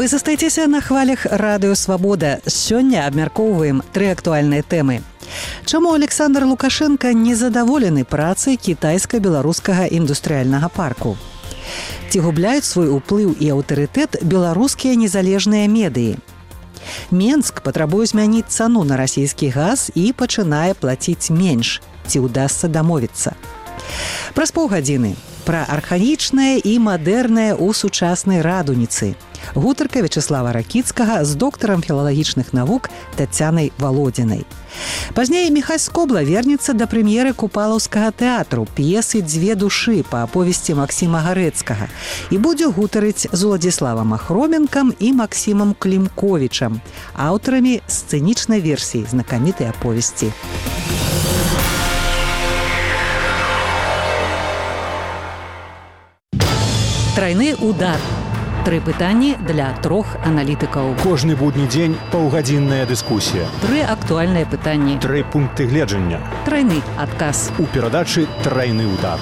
Застайцеся на хвалях радыё «Свабода». Сёння абмяркоўваем 3 актуальныя тэмы. Чаму Александр Лукашенко незадаволены працай кітайска-беларускага індустрыяльнага парку? Ці губляюць свой уплыў і аўтарытэт беларускія незалежныя медыі? Менск патрабуе змяніць цану на расійскі газ і пачынае плаціць менш. Ці ўдасца дамовіцца? Праз паўгадзіны пра архаічнае і мадэрнае ў сучаснай радуніцы. Гутарка Вячеслава Ракіцкага з доктарам філалагічных навук Тацянай Валодзінай. Пазней Міхась Скобла вернецца да прэм'еры Купалаўскага тэатру п'есы «Дзве душы» па аповесці Максіма Гарэцкага і будзе гутарыць з Уладзіславам Ахроменкам і Максімам Клімковічам, аўтарамі сцэнічнай версіі знакамітай аповесці. Трайны удар. 3 пытанні для 3 аналітыкаў. Кожны будні дзень паўгадзінная дыскусія. 3 актуальныя пытанні. 3 пункты гледжання. Трайны адказ. У перадачы «Трайны удар».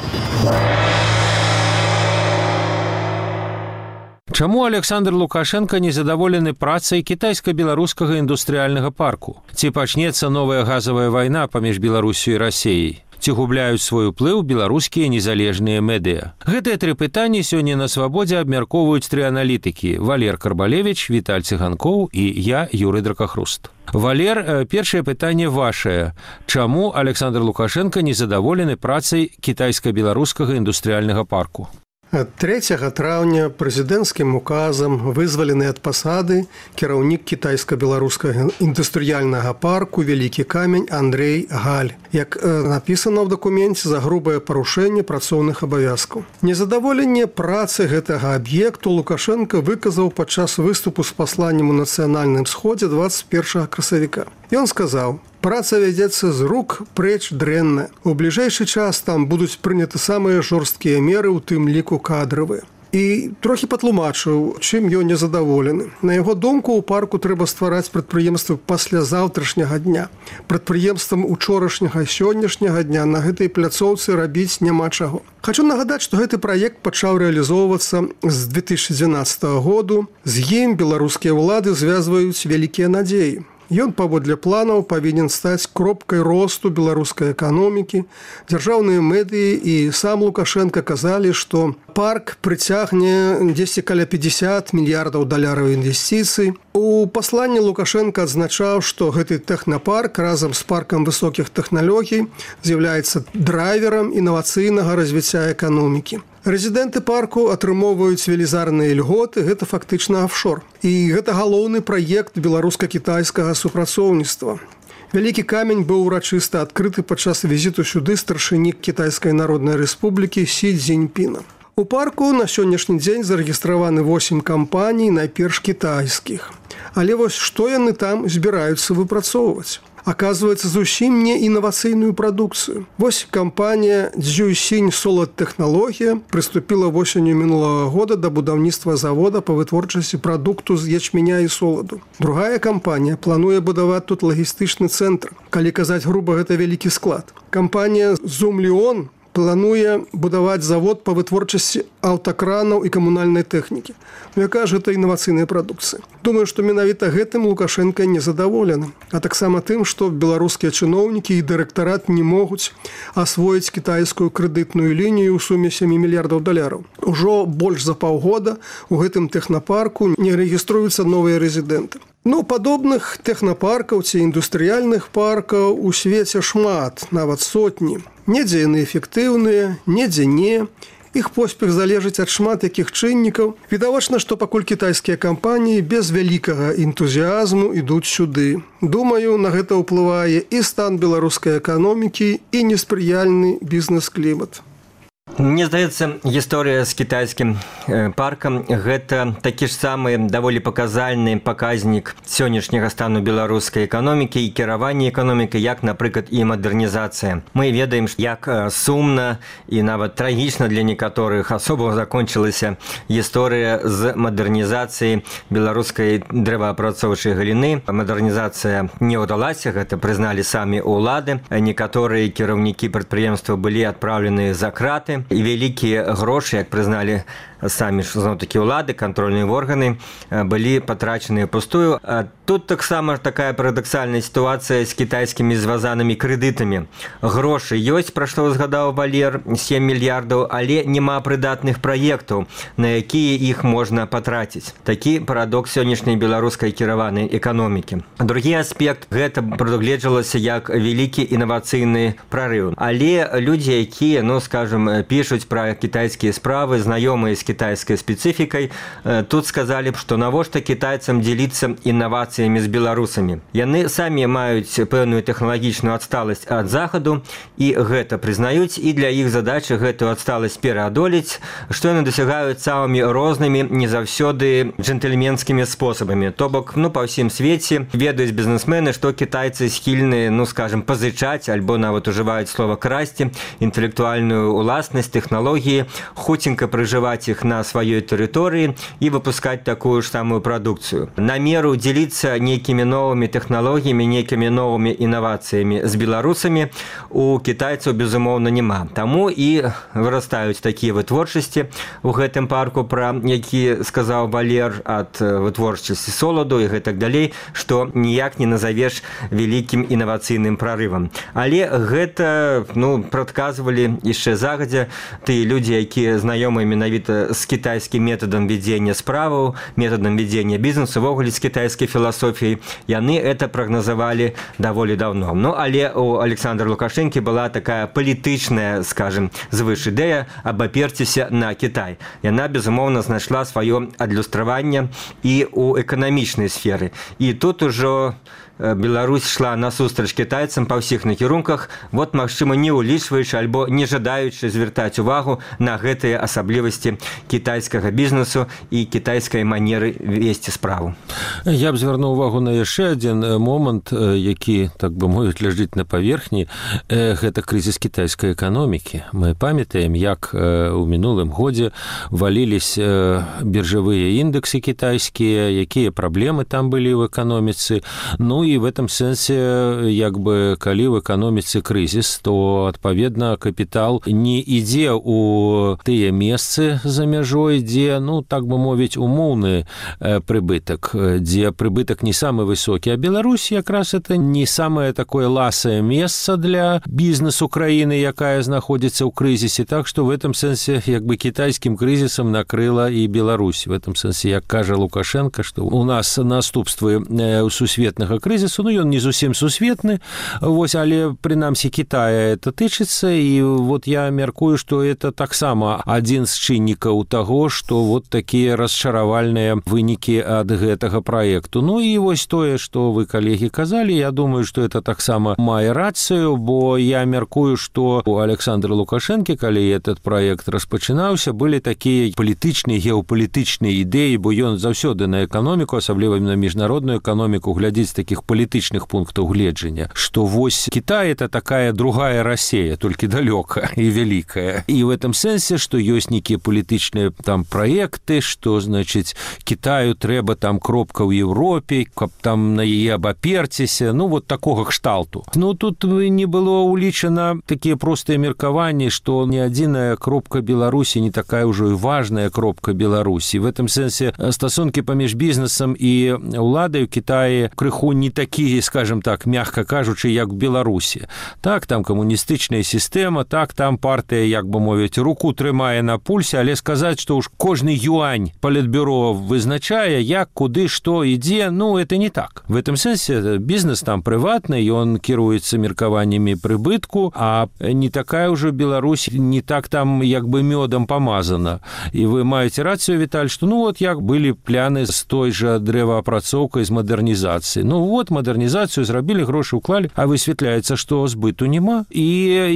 Чаму Александр Лукашенко незадаволены працай кітайска-беларускага індустрыяльнага парку? Ці пачнецца новая газавая вайна паміж Беларусю і Расіяй? Ці губляюць свой уплыў беларускія незалежныя медыа? Гэтыя 3 пытанні сёння на «Свабодзе» абмяркоўваюць 3 аналітыкі: Валер Карбалевіч, Віталь Цыганкоў і я, Юрый Дракахруст. Валер, першае пытанне вашае. Чаму Александр Лукашенко незадаволены працай кітайска-беларускага індустрыяльнага парку? 3 траўня прэзідэнцкім указам вызвалены ад пасады кіраўнік кітайска-беларускага індустрыяльнага парку «Вялікі камень» Андрэй Галь, як напісана ў дакуменце, за грубае парушэнне працоўных абавязкаў. Незадаволенне працы гэтага аб'екту Лукашенко выказаў падчас выступу з пасланнем у нацыянальным сходзе 21 красавіка. Ён сказаў: «Праца вядзецца з рук прэч дрэнна. У бліжэйшы час там будуць прыняты самыя жорсткія меры, у тым ліку кадравыя». І трохі патлумачыў, чым ён незадаволены. На яго думку, у парку трэба ствараць прадпрыемствы паслязаўтрашняга дня. Прадпрыемствам учорашняга і сённяшняга дня на гэтай пляцоўцы рабіць няма чаго. Хачу нагадаць, што гэты праект пачаў рэалізоўвацца з 2012 году. З ім беларускія ўлады звязваюць вялікія надзеі. Ён, паводле планаў, павінен стаць кропкай росту беларускай эканомікі. Дзяржаўныя медыі і сам Лукашенко казалі, што парк прыцягне дзесьці каля 50 мільярдаў даляраў інвестыцый. У пасланні Лукашенко адзначаў, што гэты тэхнапарк разам з паркам высокіх тэхналогій з'яўляецца драйверам інавацыйнага развіцця эканомікі. Рэзідэнты парку атрымоўваюць велізарныя льготы, гэта фактычна офшор. І гэта галоўны праект беларуска-кітайскага супрацоўніцтва. Вялікі камень быў урачыста адкрыты падчас візіту сюды старшыні Кітайскай Народнай Рэспублікі Сі Цзіньпіна. У парку на сённяшні дзень зарэгістраваны 8 кампаній, найперш кітайскіх. Але вось што яны там збіраюцца выпрацоўваць? Аказваецца, зусім не інавацыйную прадукцыю. Вось кампанія «Дзюйсінь Солад Тэхналогія» прыступіла восенню мінулага года да будаўніцтва завода па вытворчасці прадукту з ячменя і соладу. Другая кампанія плануе будаваць тут лагістычны цэнтр. Калі казаць груба, гэта вялікі склад. Кампанія «Зумліон» плануе будаваць завод па вытворчасці аўтакранаў і камунальнай тэхнікі. Якая ж гэта інавацыйная прадукцыя? Думаю, што менавіта гэтым Лукашенко незадаволены. А таксама тым, што беларускія чыноўнікі і дырэктарат не могуць асвоіць кітайскую крэдытную лінію ў суме 7 мільярдаў даляраў. Ужо больш за паўгода у гэтым тэхнапарку не рэгіструюцца новыя рэзідэнты. Падобных тэхнапаркаў ці індустрыяльных паркаў у свеце шмат, нават сотні. Недзе яны эфектыўныя, недзе не. Іх поспех залежыць ад шмат якіх чыннікаў. Відавочна, што пакуль кітайскія кампаніі без вялікага энтузіазму ідуць сюды. Думаю, на гэта ўплывае і стан беларускай эканомікі, і неспрыяльны бізнес-клімат. Мне здаецца, гісторыя з кітайскім паркам – гэта такі ж самы даволі паказальны паказнік сённяшняга стану беларускай эканомікі і кіравання эканомікай, як, напрыклад, і мадэрнізацыя. Мы ведаем, як сумна і нават трагічна для некаторых асобаў закончылася гісторыя з мадэрнізацыяй беларускай дрэваапрацоўчай галіны. Мадэрнізацыя не ўдалася, гэта прызналі самі ўлады. Некаторыя кіраўнікі прадпрыемства былі адпраўлены за краты. І вялікія грошы, як прызналі самі ж зноў-такі ўлады, кантрольныя органы былі патрачаныя пустую. Тут таксама такая парадаксальная сітуацыя з кітайскімі звязанымі крэдытамі. Грошы ёсць, пра што згадаў Валер, 7 мільярдаў, але няма прыдатных праектаў, на якія іх можна патраціць. Такі парадокс сённяшняй беларускай кіраванай эканомікі. Другі аспект, гэта прадугледжвалася як вялікі інавацыйны прарыў. Але людзі, якія, скажем, пішуць пра кітайскія справы, знаёмыя з кітайскай спецыфікай, тут сказалі б, што навошта кітайцам дзеліцца інавацыямі з беларусамі. Яны самі маюць пэўную тэхналагічную адсталасць ад захаду, і гэта прызнаюць, і для іх задачы гэтую адсталасць пераадолець, што яны дасягаюць самымі рознымі, не заўсёды джентльменскімі спосабамі. То бок, па ўсім свеце ведаюць бізнесмены, што кітайцы схільны, скажем, пазычаць, альбо нават ужываюць слова красці, інтэлектуальную уласнасць, тэхналогіі, хуценька прыжываць іх на сваёй тэрыторыі і выпускаць такую ж самую прадукцыю. Намеру дзеліцца нейкімі новымі тэхналогіямі, нейкімі новымі інавацыямі з беларусамі у кітайцаў, безумоўна, няма. Таму і вырастаюць такія вытворчасці у гэтым парку, пра які сказаў Валер, ад вытворчасці соладу і гэтак далей, што ніяк не назавеш вялікім інавацыйным прарывам. Але гэта, прадказвалі яшчэ загадзя тыя людзі, якія знаёмыя менавіта з кітайскім метадам вядзення справаў, метадам вядзення бізнесу, ввогуле з кітайскай філасофіяй, яны это прагназавалі даволі даўно. Але у Александра Лукашэнкі была такая палітычная, скажем, звыш ідэя абаперціся на Кітай. Яна, безумоўна, знайшла сваё адлюстраванне і ў эканамічнай сферы. І тут ужо Беларусь шла насустрач кітайцам па ўсіх накірунках, магчыма, не ўлічваючы альбо не жадаючы звяртаць увагу на гэтыя асаблівасці кітайскага бізнесу і кітайскай манеры весці справу. Я б звярнуў увагу на яшчэ адзін момант, які, так бы мовіць, ляжыць на паверхні. Гэта крызіс кітайскай эканомікі. Мы памятаем, як у мінулым годзе валіліся біржавыя індэксы кітайскія, якія праблемы там былі ў эканоміцы. І в этом сэнсе, калі ў эканоміцы крызіс, то, адпаведна, капітал не ідзе ў тыя месцы за мяжой, дзе, так бы мовіць, умоўны прыбытак, дзе прыбытак не самы высокі. А Беларусь якраз это не самае такое ласае месца для бізнесу краіны, якая знаходзіцца ў крызісе. Так што в этом сэнсе, кітайскім крызісам накрыла і Беларусь. В этом сэнсе, як кажа Лукашенко, што у нас наступствы сусветнага крызісу, ён не зусім сусветны, але прынамсі Китая это тычыцца, і я мяркую, што это таксама адзін з чыннікаў таго, што такія расчаравальныя вынікі ад гэтага праекту. І тое, што вы, калегі, казалі, я думаю, што это таксама мае рацыю, бо я мяркую, што у Александра Лукашэнкі, калі этот праект распачынаўся, былі такія палітычныя, геапалітычныя ідэі, бо ён заўсёды на эканоміку, асабліва на міжнародную эканоміку, глядзіць такіх палітычных пунктаў гледжання, што Кітай это такая другая Россия, толькі далёка і вялікая. І в этом сэнсе, што ёсць нейкія палітычныя там праекты, што, значыць, Китаю трэба там кропка ў Европе, каб там на яе абаперціся, такога кшталту. Тут не было улічана такія простыя меркаванні, што ні адзіная кропка Беларусі не такая ўжо і важная кропка Беларусі. В этом сэнсе стасункі паміж бізнесам і уладай у Китаі крыху не такія, скажем так, мягка кажучы, як у Беларусі. Так, там камуністычная сістэма, так, там партыя, як бы мовіць, руку трымае на пульсе, але сказаць, што ўж кожны юань палітбюро вызначае, як, куды, што ідзе, это не так. В этом сэнсе бізнес там прыватны, ён кіруецца меркаваннямі прыбытку, а не такая ўжо Беларусь, не так там як бы мёдам памазана. І вы маеце рацыю, Віталь, што як былі пляны з той жа дрэваапрацоўкай, з мадэрнізацыі. Мадэрнізацыю зрабілі, грошы ўклалі, а высвятляецца, што збыту няма. І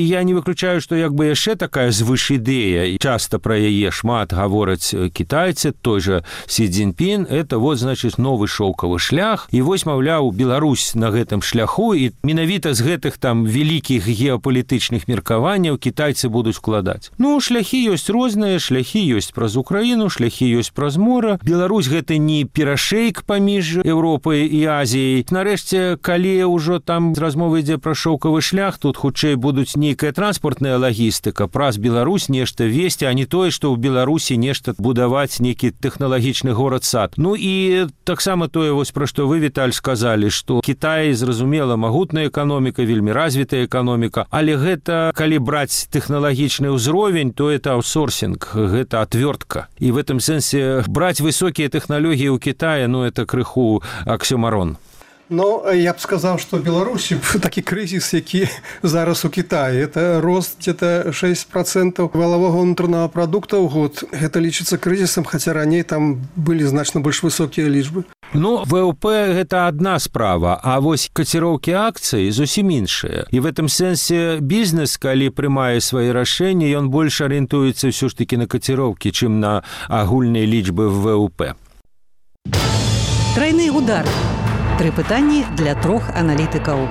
я не выключаю, што яшчэ такая звыш ідэя, часта пра яе шмат гавораць кітайцы, той жа Сі Цзіньпін, это значыць новы шоўкавы шлях. І вось, маўляў, Беларусь на гэтым шляху, і менавіта з гэтых там вялікіх геапалітычных меркаванняў кітайцы будуць вкладаць. Ну, шляхі ёсць розныя, шляхі ёсць праз Украіну, шляхі ёсць праз мора. Беларусь гэта не перашэйк паміж Еўропай і Азіяй. Нарэшце, калі ўжо там размова ідзе пра шоўкавы шлях, тут хутчэй будуць нейкая транспартная лагістыка, праз Беларусь нешта весці, а не тое, што ў Беларусі нешта будаваць нейкі тэхналагічны горад-сад. Ну і таксама тое, вось пра што вы, Віталь, сказалі, што Кітай, зразумела, магутная эканоміка, вельмі развітая эканоміка, але гэта, калі браць тэхналагічны ўзровень, то это аутсорсінг, гэта отвертка. І в этом сэнсе браць высокія тэхналогіі ў Китае, ну, это крыху аксёмарон. Но я б сказаў, што Беларусі такі крызіс, які зараз у Китаі, это рост где-то 6% валового ўнутранага прадукта ў год. Гэта лічыцца крызісам, хаця раней там былі значна больш высокія лічбы. Ну, ВВП – гэта одна справа, а вось каціроўкі акцый зусім іншыя. І в этом сэнсе бізнес, калі прымае свае рашэнні, ён больш арыентуецца ўсё ж такі на каціроўкі, чым на агульныя лічбы в ВВП. Трайны удар. 3 пытанні для 3 аналітыкаў.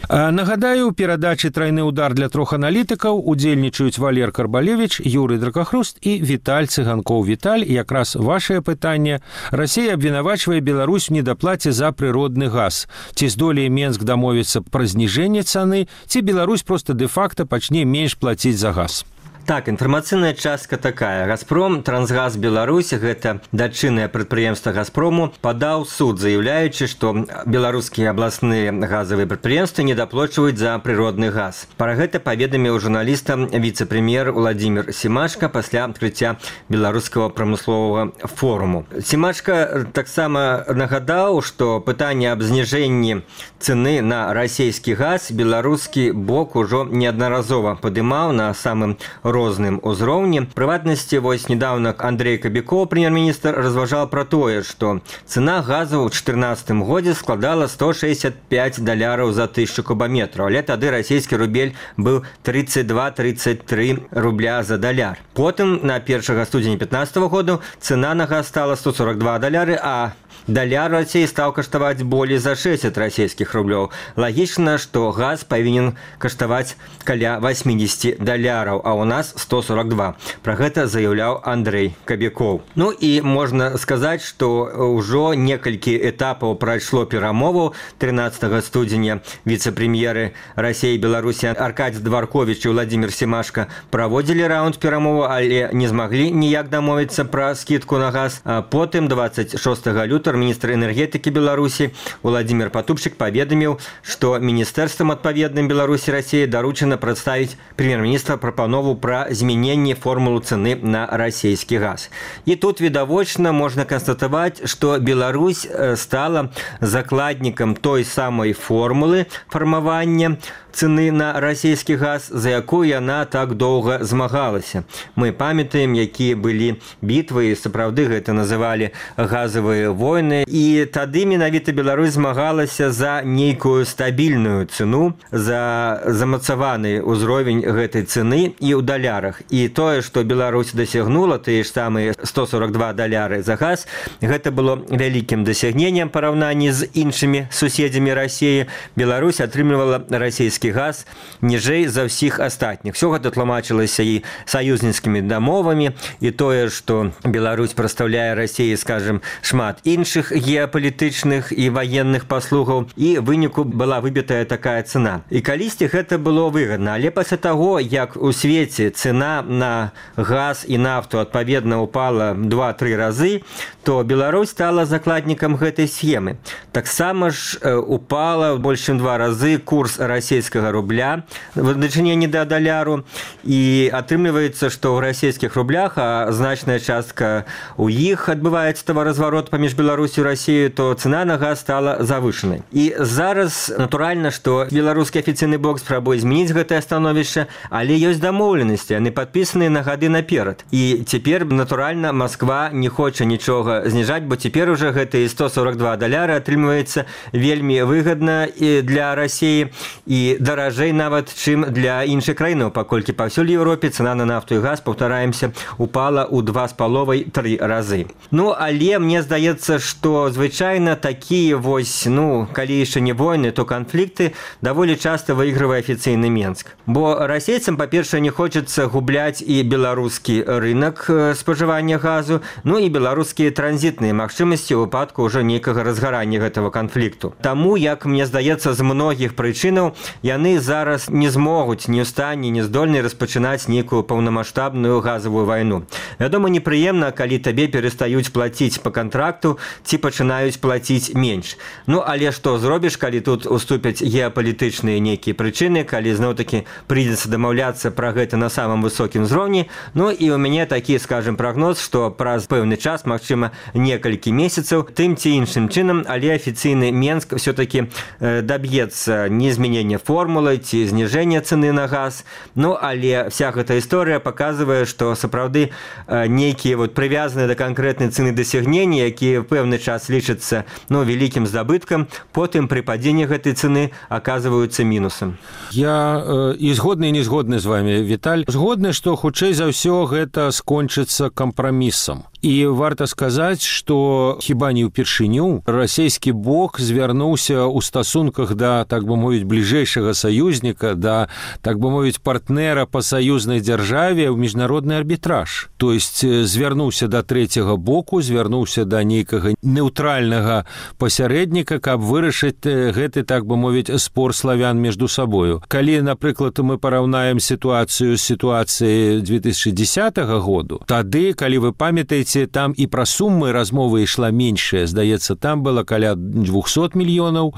Нагадаю, у перадачы «Трайны удар» для 3 аналітыкаў удзельнічаюць Валер Карбалевіч, Юрый Дракахруст і Віталь Цыганкоў. Віталь, якраз вашае пытанне. Расія абвінавачвае Беларусь у недаплаце за прыродны газ. Ці здолее Менск дамовіцца пра зніжэнне цаны, ці Беларусь проста дэ-факта пачне менш плаціць за газ? Так, інфармацыйная частка такая. «Газпром», «Трансгаз Беларусь», гэта дачыннае прадпрыемства «Газпрому», падаў суд, заяўляючы, што беларускія абласныя газавыя прадпрыемствы недаплачваюць за прыродны газ. Пра гэта паведаміў журналістам віцэ-прэм'ер Уладзімір Семашка пасля адкрыцця беларускага прамысловага форуму. Семашка таксама нагадаў, што пытанне аб зніжэнні цэны на расійскі газ беларускі бок ужо неаднаразова падымаў на самым розным узроўні. Прыватнасці, вось недавно Андрей Кабякоў, прэм'ер-міністр, разважаў пра тое, што цена газу ў 2014 годзе складала $165 за 1000 кубаметраў, але тады расійскі рубель быў 32-33 рубля за даляр. Потым, на 1 студзеня 2015 году, цена на газ стала $142, а даляр Расіі стаў каштаваць болей за 60 расійскіх рублёў. Лагічна, што газ павінен каштаваць каля $80, а ў нас 142. Пра гэта заяўляў Андрей Кабякоў. Ну і можна сказаць, што ўжо некалькі этапаў прайшло перамоваў. 13 студзеня віцэ-прэм'еры Расіі і Беларусі Аркадзь Дварковіч і Владзімір Семашка праводзілі раунд перамоваў, але не змаглі ніяк дамовіцца пра скідку на газ. А потым 26 лютага міністр энергетыкі Беларусі Владзімір Патупчык паведаміў, што міністэрствам адпаведным Беларусі Расіі даручана прадставіць прэм'ер-міністра прапанову пра змяненне формулы цэны на расійскі газ. І тут відавочна можна канстатаваць, што Беларусь стала закладнікам той самай формулы фармавання цэны на расійскі газ, за якую яна так доўга змагалася. Мы памятаем, якія былі бітвы, і сапраўды гэта называлі газавыя войны, і тады менавіта Беларусь змагалася за нейкую стабільную цэну, за замацаваны ўзровень гэтай цэны і ў далярах. І тое, што Беларусь дасягнула, тыя ж самыя $142 за газ, гэта было вялікім дасягненнем параўнанні з іншымі суседзямі Расіі. Беларусь атрымлівала расійскі газ ніжэй за ўсіх астатніх. Всё гэта тлумачылася і саюзніцкімі дамовамі, і тое, што Беларусь прадстаўляе Расіі, скажем, шмат іншых геапалітычных і ваенных паслугаў, і выніку была выбітая такая цэна. І калісьці гэта было выгадна, але пасля таго, як у свеце цэна на газ і нафту адпаведна упала 2-3 разы, то Беларусь стала закладнікам гэтай схемы. Таксама ж упала больш чым 2 разы курс расійскага рубля в дачыненні да даляру, і атрымліваецца, што ў расійскіх рублях, а значная частка у іх адбываецца таваразварот паміж Беларусю і Расіяю, то цена на газ стала завышанай. І зараз, натуральна, што беларускі афіцыйны бок спрабуе змяніць гэтае становішча, але ёсць дамоўленасці дамоўленасці, яны падпісаны на гады наперад. І цяпер, натуральна, Москва не хоча нічога зніжаць, бо цяпер уже гэтыя $142 атрымліваецца вельмі выгадна для Расіі і даражэй нават, чым для іншых краінаў, паколькі паўсюль Еўропе цана на нафту і газ, паўтараемся, упала ў 2,5-3 разы. Ну, але мне здаецца, што звычайна такія вось, калі яшчэ не войны, то канфлікты даволі часта выйгрывае афіцыйны Менск. Бо расейцам, па-першае, не хочацца губляць і беларускі рынок спажывання газу, і беларускія транзітныя магчымасці ў выпадку ўжо нейкага разгарання гэтага канфлікту. Таму, як мне здаецца, з многіх прычынаў яны зараз не змогуць ні ў стане, ні здольны распачынаць нейкую паўнамаштабную газавую вайну. Вядома, непрыемна, калі табе перастаюць плаціць па кантракту ці пачынаюць плаціць менш. Але што зробіш, калі тут уступяць геапалітычныя нейкія прычыны, калі зноў-такі прыйдзецца дамаўляцца пра гэта на самым высокім узроўні. І ў мяне такі, скажем, прагноз, што праз пэўны час, магчыма, некалькі месяцаў, тым ці іншым чынам, але афіцыйны Менск все-таки доб'ецца не змянення формулы ці зніжэння цэны на газ. Але вся гэта історыя паказвае, што сапраўды нейкія прывязаныя да канкрэтнай цэны дасягнення, якія в пэўны час лічацца вялікім здабыткам, потым пры падзенні гэтай цэны аказваюцца мінусам. Я і згодны, і не згодны з вами, Віталь. Згодны, што хутчэй за ўсё гэта скончыцца кампрамісам. І варта сказаць, што хіба не ўпершыню расійскі бок звярнуўся ў стасунках да, так бы мовіць, бліжэйшага саюзніка, да, так бы мовіць, партнера па саюзнай дзяржаве ў міжнародны арбітраж. То есть звярнуўся да трэцяга боку, звярнуўся да нейкага неўтральнага пасярэдніка, каб вырашыць гэты, так бы мовіць, спор славян міжду сабою. Калі, напрыклад, мы параўнаем сітуацыю з сітуацыяй 2010 году, тады, калі вы памятаеце, там і пра суммы размовы ішла меншая. Здаецца, там было каля $200 мільёнаў.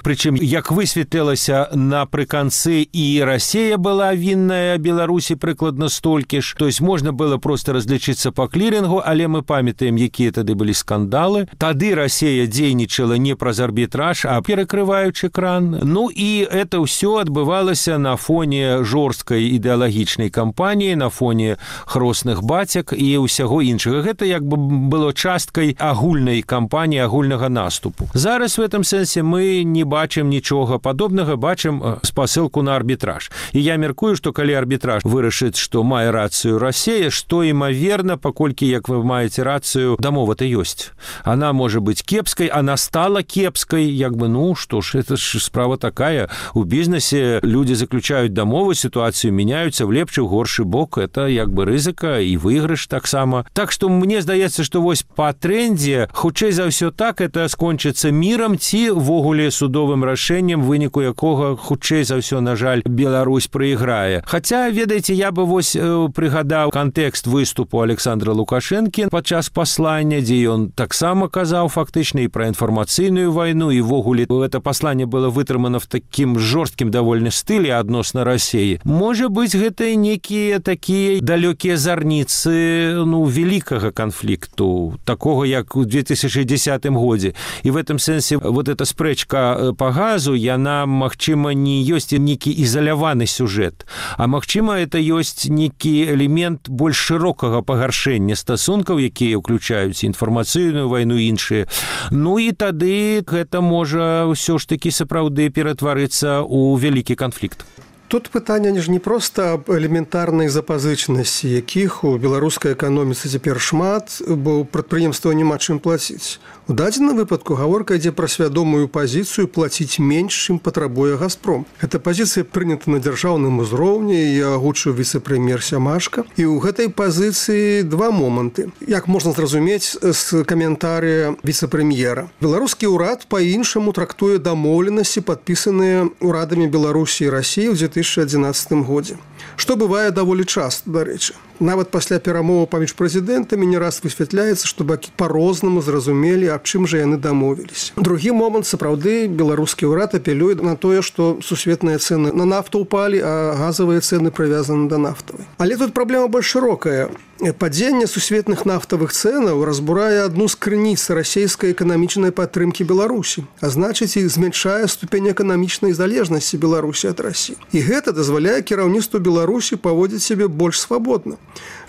Прычым, як высветлілася напрыканцы, і Расія была вінная Беларусі прыкладна столькі ж. То есть можна было проста разлічыцца па клірынгу, але мы памятаем, якія тады былі скандалы. Тады Расія дзейнічала не праз арбітраж, а перакрываючы кран. І это ўсё адбывалася на фоне жорсткай ідэалагічнай кампаніі, на фоне хросных бацяк і ўсяго іншага. Гэта як бы было часткай агульнай кампаніі, агульнага наступу. Зараз в этом сэнсе мы не бачым нічога падобнага, бачым спасылку на арбітраж. І я мяркую, што калі арбітраж вырашыць, што мае рацыю Расія, што імаверна, паколькі, як вы маеце рацыю, дамова-то ёсць. Она можа быць кепскай, она стала кепскай, як бы, што ж, это ж справа такая. У бізнесе люди заключаюць дамовы, сітуацыю мяняюцца в лепшы, в горшы бок. Это як бы рызыка і выйгрыш таксама. Так што мне здаецца, што вось па трэндзе, хутчэй за ўсё так, это скончыцца мірам ці ввогуле судовым рашэннем, выніку якога хутчэй за ўсё, на жаль, Беларусь прайграе. Хаця, ведаеце, я бы вось прыгадаў кантэкст выступу Александра Лукашэнкі падчас паслання, дзе ён таксама казаў фактычна і пра інфармацыйную вайну, і ввогуле гэта пасланне было вытрымана в такім жорсткім давольна стылі адносна Расіі. Можа быць, гэта некія такія далёкія зарніцы, великого конфликту, такого, як у 2010 годзе. І в этом сэнсе вот эта спрэчка по газу, яна, магчыма, не ёсць нейкі ізаляваны сюжэт, а магчыма, это ёсць нейкі элемент больш шырокага пагаршэння стасункаў, якія ўключаюць інфармацыйную вайну і іншыя. І тады гэта можа ўсё ж такі сапраўды ператварыцца ў вялікі канфлікт. Тут пытанне ж не проста аб элементарнай запазычнасці, якіх у беларускай эканоміцы цяпер шмат, бо прадпрыемства няма чым плаціць. У дадзеным выпадку гаворка ідзе пра свядомую пазіцыю плаціць менш, чым патрабуе Газпром. Эта пазіцыя прынята на дзяржаўным узроўні, і агучыў віцэ-прэм'ер Сямашка. І ў гэтай пазіцыі два моманты. Як можна зразумець з каментарыя віцэ-прэм'ера. Беларускі ўрад па-іншаму трактуе дамоўленасці, падпісаныя ўрадамі Беларусі і Расіі ў 2011 годзе. Што бывае даволі часта, дарэчы. Нават пасля перамоваў паміж прэзідэнтамі не раз высвятляецца, што бакі па-рознаму зразумелі, аб чым жа яны дамовіліся. Другі момант, сапраўды, беларускі ўрад апелюе на тое, што сусветныя цэны на нафту ўпалі, а газавыя цэны прывязаны да нафтавай. Але тут праблема больш шырокая. Падзенне сусветных нафтавых цэнаў разбурае адну з крыніц расійскай эканамічнай падтрымкі Беларусі, а значыць і змяншае ступень эканамічнай залежнасці Беларусі ад Расіі. І гэта дазваляе кіраўніцтву Беларусі паводзіць сябе больш свабодна.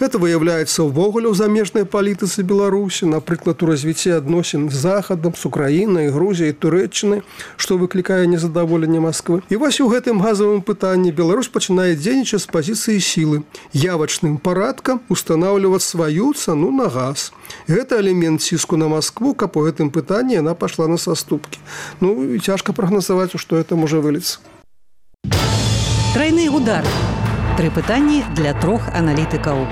Гэта выяўляецца ўвогуле ў замежнай палітыцы Беларусі, напрыклад, у развіцці адносін з Захадам, з Украінай, Грузіяй, Турэччынай, што выклікае незадаволенне Масквы. І вось у гэтым газавым пытанні Беларусь пачынае дзейнічаць з пазіцыі сілы, явачным парадкам устанаўліваць сваю цану на газ. Гэта элемент ціску на Маскву, каб у гэтым пытанні яна пашла на саступкі. Ну, і цяжка прагназаваць, у што гэта можа выліцца. Трайны удар. 3 пытанні для 3 аналітыкаў.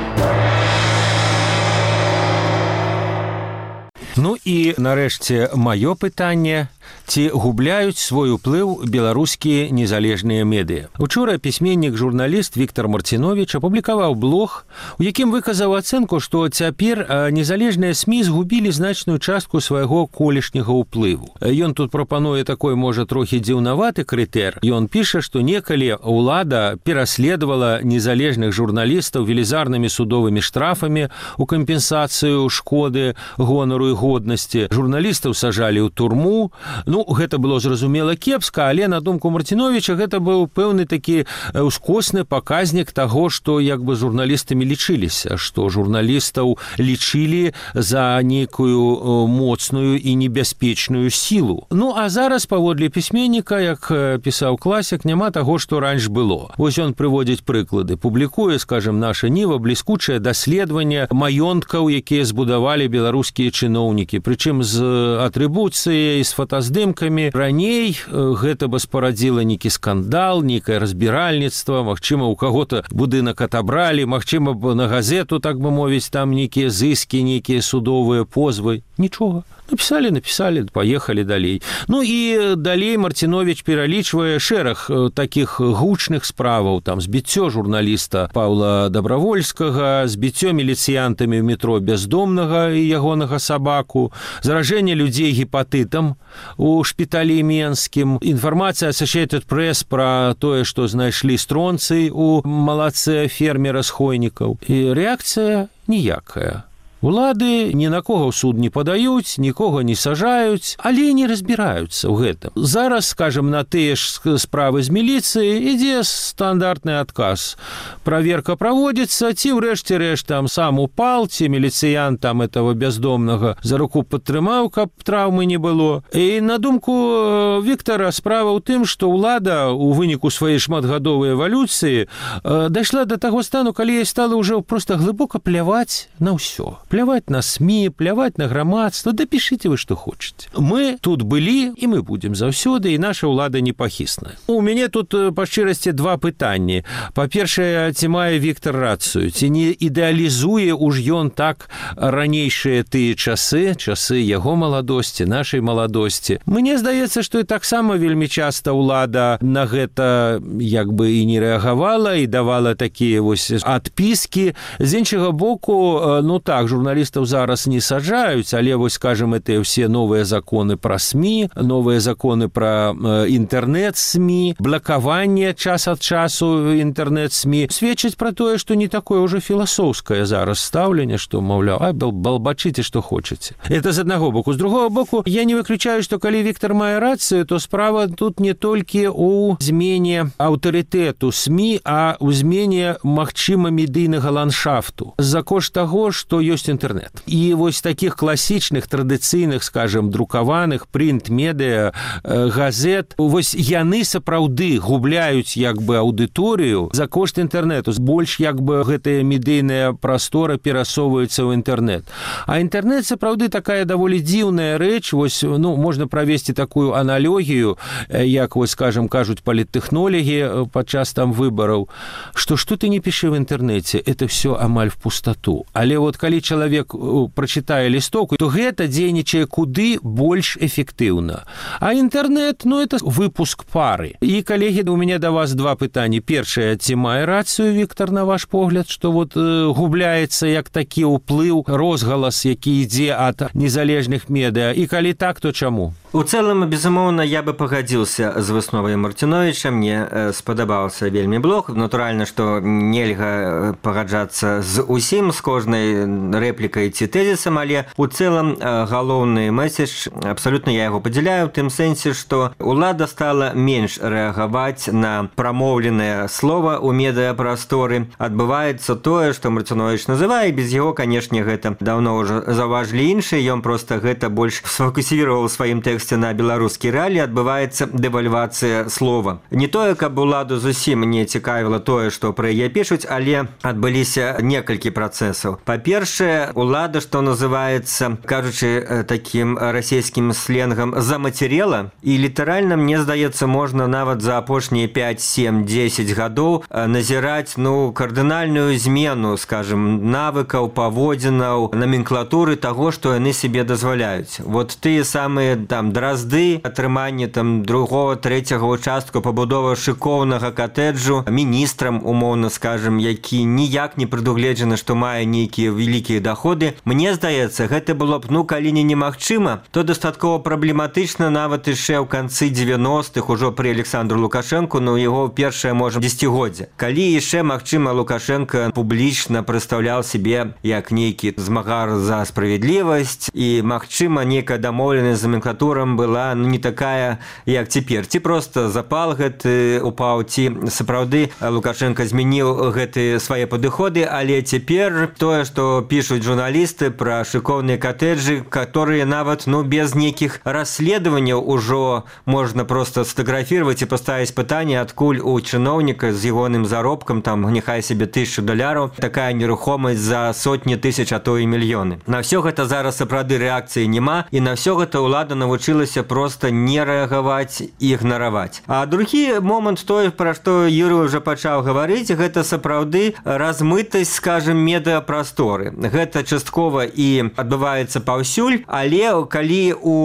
Ну і, нарэшце, маё пытанне. Ці губляюць свой уплыў беларускія незалежныя медыа. Учора пісьменнік-журналіст Віктор Марціновіч апублікаваў блог, у якім выказаў ацэнку, што цяпер незалежныя СМІ згубілі значную частку свайго колішняга ўплыву. Ён тут прапануе такой, можа, трохі дзіўнаваты крытэр. Ён піша, што некалі ўлада пераследавала незалежных журналістаў велізарнымі судовымі штрафамі у кампенсацыю шкоды, гонару і годнасці. Журналістаў сажалі ў турму. Ну, гэта было зразумела кепска, але на думку Марціновіча гэта быў пэўны такі ускосны паказнік таго, што як бы журналістамі лічыліся, што журналістаў лічылі за нейкую моцную і небяспечную сілу. Ну, а зараз, паводле пісьменніка, як пісаў класік, няма таго, што раньш было. Вось ён прыводзіць прыклады. Публікуе, скажем, наша Ніва бліскучае даследаванне маёнткаў, якія збудавалі беларускія чыноўнікі, прычым з атрыбуцыяй, з фотаздымкамі. Раней гэта бы спарадзіла нейкі скандал, нейкае разбіральніцтва, магчыма, у каго-то будынак атабралі, магчыма, на газету, так бы мовіць, там нейкія зыскі, нейкія судовыя позвы. Нічога. Напісалі, паехалі далей. Ну і далей Марціновіч пералічвае шэраг такіх гучных справаў, там збіццё журналіста Паўла Дабравольскага, збіццё міліцыянтамі ў метро Бяздомнага і ягонага сабаку, заражэнне людзей гепатытам у шпіталі Менскім, інфармацыя Associated Press пра тое, што знайшлі стронцый у малаце фермера з Хойнікаў. І рэакцыя ніякая. Улады ні на кого ў суд не падаюць, нікога не сажаюць, але не разбіраюцца ў гэтым. Зараз, скажем, на тыя ж справы з міліцыі ідзе стандартны адказ. Праверка праводзіцца, ці ўрэшце рэшт там сам упал, ці міліцыянт там этого бяздомнага за руку падтрымаў, каб траўмы не было. І на думку Віктара справа ў тым, што ўлада у выніку сваёй шматгадовай эвалюцыі дайшла да таго стану, калі ёй стала ўжо проста глыбока пляваць на ўсё. Пляваць на СМІ, пляваць на грамадства, да пішыце вы, што хочаце. Мы тут былі, і мы будзем заўсёды, і наша ўлада непахісная. У мяне тут, па шчырасці, 2 пытанні. Па-першае, ці мае Віктар рацыю, ці не ідэалізуе уж ён так ранейшыя тыя часы яго маладосці, нашай маладосці. Мне здаецца, што і таксама вельмі часта ўлада на гэта як бы і не рэагавала, і давала такія вось адпіскі. З іншага боку, ну так, журналістаў зараз не саджаюць, але вось, скажем, это ўсе новыя законы пра СМІ, новыя законы пра інтэрнэт-СМІ, блакаванне час ад часу інтэрнэт-СМІ сведчыць пра тое, што не такое ўжо філасофскае зараз стаўленне, што, маўляў, балбачыце, што хочаце. Это з аднаго боку. З другого боку, я не выключаю, што калі Віктар мае рацыю, то справа тут не толькі ў змене аўтарытэту СМІ, а ў змене, магчыма, медыйнага ландшафту. За кошт таго, што ёсць інтэрнэт. І вось такіх класічных, традыцыйных, скажем, друкаваных, прынт-медыа, газет, вось яны сапраўды губляюць як бы аўдыторыю за кошт інтэрнэту. Больш як бы гэтая медыйная прастора перасоўваецца ў інтэрнэт. А інтэрнэт сапраўды такая даволі дзіўная рэч. Вось, ну, можна правесці такую аналогію, як, вось, скажем, кажуць паліттэхнолегі падчас там выбараў, што ты не пішы в інтэрнэце, это все амаль в пустоту. Але вот калі чалавек прачытае лістоўку, то гэта дзейнічае куды больш эфектыўна. А інтэрнэт, ну, это выпуск пары. І, калегі, у мяне да вас 2 пытанні. Першае, ці мае рацыю Віктар, на ваш погляд, што вот губляецца як такі ўплыў, розгалас, які ідзе ад незалежных медыа? І калі так, то чаму? У цэлым, безумоўна, я бы пагадзіўся з высновай Марціновіча. Мне спадабаўся вельмі блог. Натуральна, што нельга пагаджацца з усім, з кожнай рэплікай ці тэзісам, але у цэлым галоўны месседж, абсалютна я яго падзяляю, у тым сэнсе, што ўлада стала менш рэагаваць на прамоўленае слова ў медыапрасторы. Адбываецца тое, што Марціновіч называе, без яго, канешне, гэта даўно ўжо заўважылі іншыя, ён проста гэта больш сфокусіраваў сваім тэкстам на беларускі рэаліі, адбываецца дэвальвацыя слова. Не тое, каб уладу зусім не цікавіла тое, што пра яе пішуць, але адбыліся некалькі працэсаў. Па-першае, улада, што называецца, кажучы такім расійскім сленгам, замацерела, і літаральна, мне здаецца, можна нават за апошнія 5, 7, 10 гадоў назіраць, кардынальную змену, скажем, навыкаў, паводзінаў, номенклатуры таго, што яны себе дазваляюць. Вот тыя самыя дразды, атрыманне другого, трэцяга участку, пабудова шыкоўнага катэджу міністрам, умоўна скажем, які ніяк не прадугледжана, што мае нейкія вялікія доходы. Мне здаецца, гэта было б, калі не немагчыма, то дастаткова праблематычна нават яшчэ ў канцы 90-х, ужо пры Александру Лукашэнку, яго першае, можа, дзесяцігоддзе. Калі яшчэ, магчыма, Лукашенко публічна прадстаўляў себе як нейкі змагар за справядлівасць, і, магчыма, нейкая дамоўленасць з номенклатурам была не такая, як цяпер. Ці проста запал гэты упаў, ці сапраўды Лукашенко змяніў гэтыя свае падыходы, але цяпер тое, што пішуць журналісты пра шыкоўныя катэджы, которые нават без нейкіх расследаванняў ужо можна проста сфотаграфировать і паставіць пытанне, адкуль у чыноўніка з ягоным заробкам, няхай себе $1000, такая нерухомасць за сотні тысяч, а то і мільёны. На ўсё гэта зараз сапраўды рэакцыі няма, і на ўсё гэта ўлада навучылася просто не рэагаваць і ігнараваць. А другі момант, той, пра што Юрый уже пачаў гаварыць, гэта сапраўды размытасць, скажем, медыапрасторы. Гэта часткова і адбываецца паўсюль, але калі у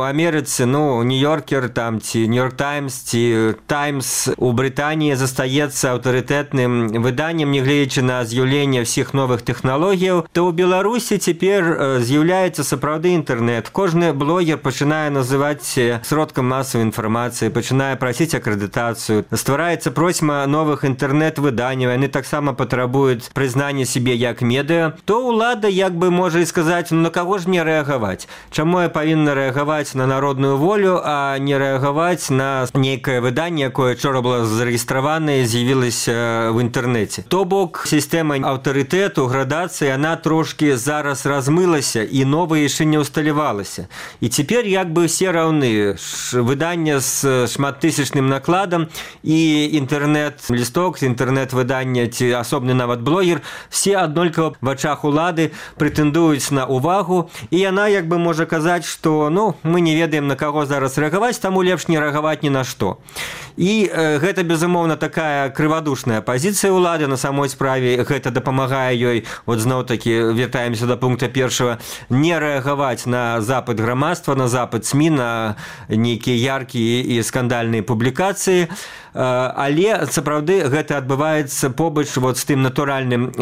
Амерыцы, Нью-Йоркер, ці Нью-Йорк Таймс, ці Таймс у Брытаніі застаецца аўтарытэтным выданнем, нягледзячы на з'яўленне ўсіх новых тэхналогіяў, то ў Беларусі цяпер з'яўляецца сапраўды інтэрнэт. Кожны блогер пачынае называць сродкам масавай інфармацыі, пачынае прасіць акрэдытацыю, ствараецца просьма новых інтэрнэт-выданняў, яны таксама патрабуюць прызнання сябе як медыа, то ўлада можа і сказаць, на каго ж мне рэагаваць? Чаму я павінна рэагаваць на народную волю, а не рэагаваць на нейкае выданне, якое учора было зарэгістравана і з'явілася в інтэрнэце? То бок, сістэма аўтарытэту, градацыі, яна трошкі зараз размылася і новая яшчэ не ўсталявалася. І цяпер все раўны. Выданне з шматтысячным накладам і інтэрнэт-лісток, інтэрнэт-выданне ці асобны нават блогер, все аднолькава в ачах улады прэтэндуюць на увагу, і яна можа казаць, што мы не ведаем, на каго зараз рэагаваць, таму лепш не рэагаваць ні на што. І гэта, безумоўна, такая крывадушная пазіцыя ўлады. На самой справе гэта дапамагае ёй, зноў-такі вяртаемся да пункта першага, не рэагаваць на запыт грамадства, на запыт СМІ, на нейкія яркія і скандальныя публікацыі. Але сапраўды гэта адбываецца побач з тым натуральным,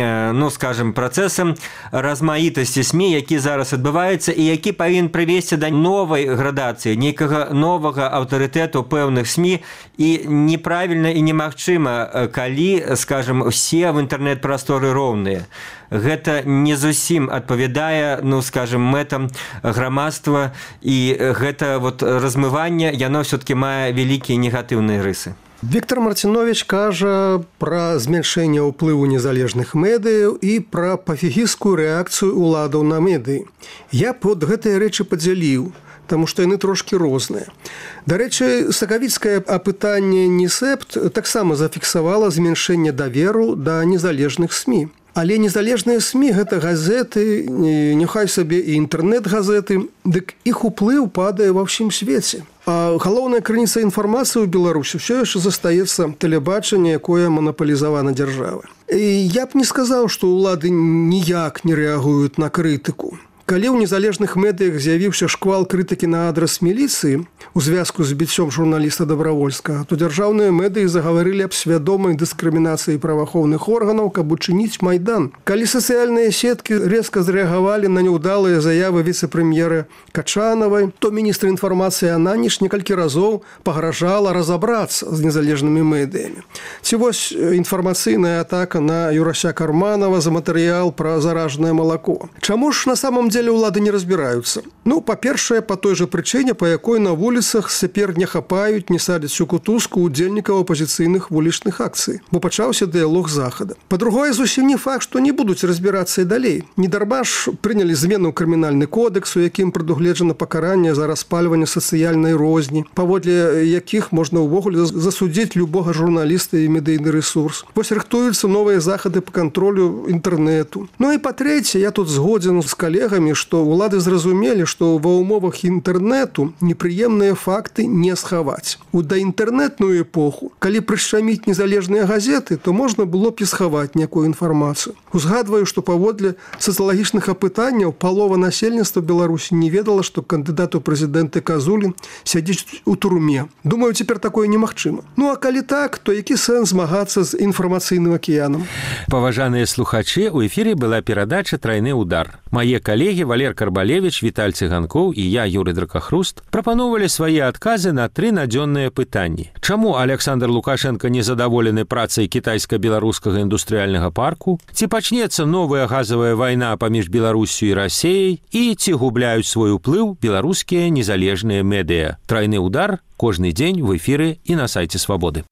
скажем, працэсам размаітасці СМІ, які зараз адбываецца і які павінен прывесці да новай градацыі, нейкага новага аўтарытэту пэўных СМІ. І неправільна і немагчыма, калі, скажем, усе в інтэрнэт-прасторы роўныя. Гэта не зусім адпавядае, скажем, мэтам грамадства, і гэта размыванне, яно ўсё-такі мае вялікія негатыўныя рысы. Віктор Марціновіч кажа пра змяншэнне ўплыву незалежных медыяў і пра пафігісцкую рэакцыю ўладаў на медыі. Я б гэтыя рэчы падзяліў, таму што яны трошкі розныя. Дарэчы, сакавіцкае апытанне «Несепт» таксама зафіксавала змяншэнне даверу да незалежных СМІ. Але незалежныя СМІ – гэта газеты, няхай сабе і інтэрнэт-газеты, дык іх уплыў падае ва ўсім свеце. А галоўная крыніца інфармацыі ў Беларусі ўсё яшчэ застаецца тэлебачанне, якое манапалізавана дзяржавай. І я б не сказаў, што ўлады ніяк не рэагуюць на крытыку. Калі ў незалежных медыях з'явіўся шквал крытыкі на адрас міліцыі у звязку з біццём журналіста Добравольскага, то дзяржаўныя медыі загаварылі аб свядомай дыскрымінацыі праваахоўных органаў, каб учыніць Майдан. Калі сацыяльныя сеткі резка зрэагавалі на няўдалыя заявы віцэ-прэм'ера Качанавай, то міністр інфармацыі Ананіш некалькі разоў пагражала разабрацца з незалежнымі медыямі. Ці вось інфармацыйная атака на Юрася Карманова за матэрыял пра заражанае малако. Чаму ж на самом деле улады не разбіраюцца? Ну, па-першае, па той жа прычыне, па якой на вуліцах цяпер не хапаюць, не садзяць у кутузку удзельнікаў апазіцыйных вулічных акцый, бо пачаўся дыялог захада. Па-другое, зусім не факт, што не будуць разбірацца і далей. Недарма ж прынялі змену ў крымінальны кодекс, у якім прадугледжана пакаранне за распальванне сацыяльнай розні, паводле якіх можна ўвогуле засудзіць любога журналіста і медыйны ресурс. Вось рыхтуюцца новыя захады па кантролю інтэрнэту. Ну і па-трэцяе, я тут згодзен з калегамі, што ўлады зразумелі, што ва ўмовах інтэрнэту непрыемныя факты не схаваць. У даінтэрнэтную эпоху, калі прышчаміць незалежныя газеты, то можна было б і схаваць некую інфармацыю. Узгадваю, што паводле сацыялагічных апытанняў палова насельніцтва Беларусі не ведала, што кандыдат у прэзідэнты Казулін сядзіць у турме. Думаю, цяпер такое немагчыма. Ну а калі так, то які сэнс змагацца з інфармацыйным акіянам? Паважаныя слухачы, у эфіры была перадача «Трайны удар». Мае калегі Валер Карбалевіч, Віталь Цыганкоў і я, Юрый Дракахруст, прапаноўвалі свае адказы на 3 надзённыя пытанні. Чаму Александр Лукашенко незадаволены працай кітайска-беларускага індустрыяльнага парку? Ці пачнецца новая газавая вайна паміж Беларусю і Расеяй? І ці губляюць свой уплыў беларускія незалежныя медыа? «Трайны удар» кожны дзень в эфіры і на сайце Свабоды.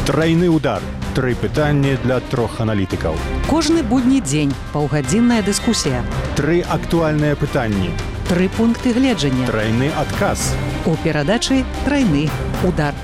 Трайны удар. 3 пытанні для 3 аналітыкаў. Кожны будні дзень паўгадзінная дыскусія. 3 актуальныя пытанні. 3 пункты гледжання. Трайны адказ. У перадачы «Трайны удар».